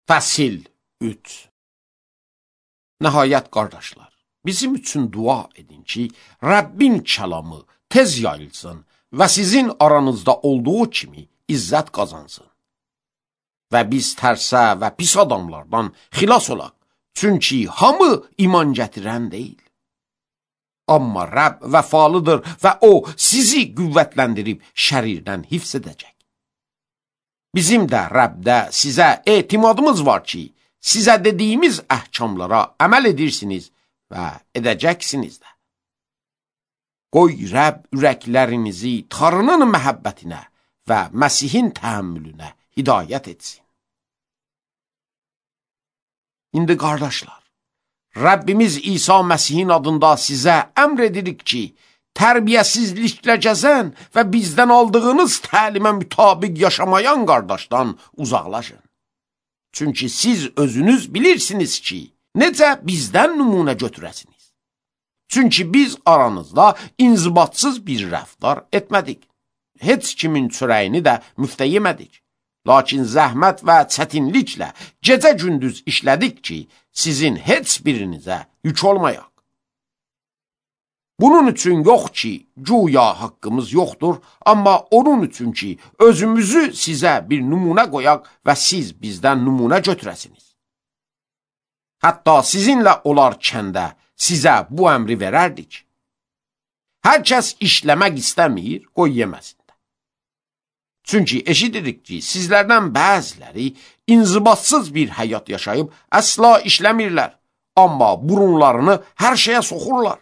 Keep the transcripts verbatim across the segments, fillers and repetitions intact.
Fəsil üç. Nəhayət, qardaşlar, bizim üçün dua edin ki, Rəbbin kəlamı tez yayılsın və sizin aranızda olduğu kimi izzət qazansın. Və biz tərsə və pis adamlardan xilas olaq, çünki hamı iman gətirən deyil. Amma Rəbb vəfalıdır və o sizi qüvvətləndirib şərirdən hifz edəcək. Bizim də Rəbdə sizə etimadımız var ki, sizə dediyimiz əhkamlara əməl edirsiniz və edəcəksiniz də. Qoy Rəbb ürəklərinizi Tanrının məhəbbətinə və Məsihin təhəmmülünə hidayət etsin. İndi qardaşlar, Rəbbimiz İsa Məsihin adında sizə əmr edirik ki, tərbiyəsizliklə gəzən və bizdən aldığınız təlimə mütabiq yaşamayan qardaşdan uzaqlaşın. Çünki siz özünüz bilirsiniz ki, necə bizdən nümunə götürəsiniz. Çünki biz aranızda inzibatsız bir rəftar etmədik. Heç kimin çörəyini də müftə yemədik. Lakin zəhmət və çətinliklə gecə-gündüz işlədik ki, sizin heç birinizə yük olmayaq. Bunun üçün yox ki, güya haqqımız yoxdur, amma onun üçün ki, özümüzü sizə bir nümunə qoyaq və siz bizdən nümunə götürəsiniz. Hətta sizinlə olarkəndə sizə bu əmri verərdik. Hər kəs işləmək istəmir, qoy yeməsin də. Çünki eşidirik ki, sizlərdən bəziləri inzibatsız bir həyat yaşayıb əsla işləmirlər, amma burunlarını hər şeyə soxurlar.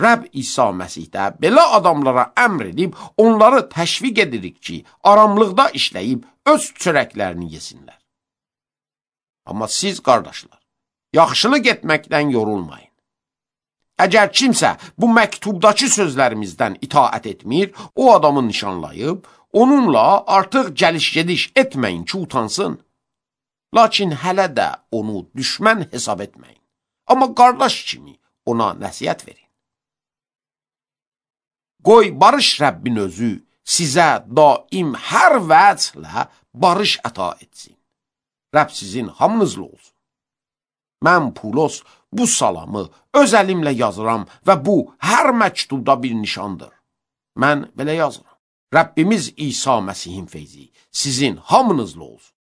Rəbb İsa Məsihdə belə adamlara əmr edib, onları təşviq edirik ki, aramlıqda işləyib öz çörəklərini yesinlər. Amma siz, qardaşlar, yaxşılıq etməkdən yorulmayın. Əgər kimsə bu məktubdakı sözlərimizdən itaət etmir, o adamı nişanlayıb, onunla artıq gəliş-gediş etməyin ki, utansın. Lakin hələ də onu düşmən hesab etməyin. Amma qardaş kimi ona nəsihət verin. Qoy barış Rəbbin özü sizə daim hər vəclə barış əta etsin. Rəbb sizin hamınızla olsun. Mən Pulos bu salamı öz əlimlə yazıram və bu hər məktubda bir nişandır. Mən belə yazıram. Rəbbimiz İsa Məsihin feyzi sizin hamınızla olsun.